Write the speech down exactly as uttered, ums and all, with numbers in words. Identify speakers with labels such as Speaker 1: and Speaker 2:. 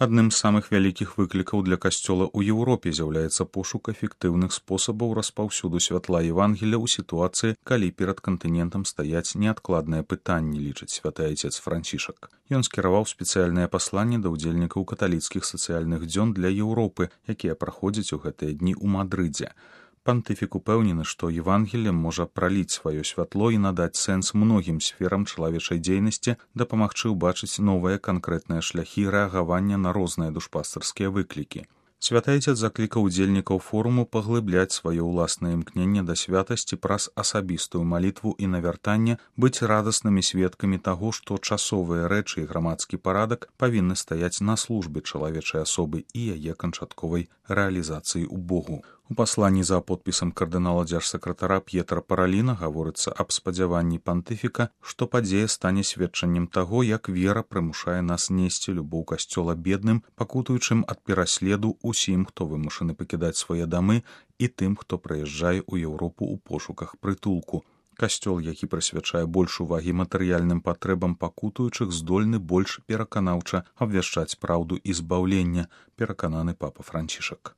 Speaker 1: Адным з самых вялікіх выклікаў для касцёла ў Еўропе з'яўляецца пошук эфектыўных спосабаў распаўсюду святла Евангелля ў сітуацыі, калі перад кантынентам стаяць неадкладныя пытанні, лічыць святы айцец Францішак. Ён скіраваў спецыяльнае пасланне да ўдзельнікаў каталіцкіх сацыяльных дзён для Еўропы, якія праходзяць у гэтыя дні ў Мадрыдзе. Пантыфік упэўнены, што Евангелле можа праліць сваё святло і надаць сэнс многім сферам чалавечай дзейнасці, дапамагчы ўбачыць новыя канкрэтныя шляхі рэагавання на розныя душпастарскія выклікі. Святы айцец заклікаў удзельнікаў форуму паглыбляць сваё ўласнае імкненне да святасці праз асабістую малітву і навяртанне, быць радаснымі сведкамі таго, што часовыя рэчы і грамадскі парадак павінны стаяць на службе чалавечай асобы і яе канчатковай рэалізацыі ў Богу. У пасланні за подпісам кардынала дзяржсакратара П'етра Параліна гаворыцца аб спадзяванні пантыфіка, што падзея стане сведчаннем таго, як вера прымушае нас несці любоў касцёла бедным, пакутуючым ад пераследу усім, хто вымушаны пакідаць свае дамы, і тым, хто прыязджае ў Еўропу ў пошуках прытулку. Касцёл, які прысвячае больш увагі матэрыяльным патрэбам пакутуючых, здольны больш пераканаўча абвяшчаць праўду і збаўлення, перакананы папа Францішак.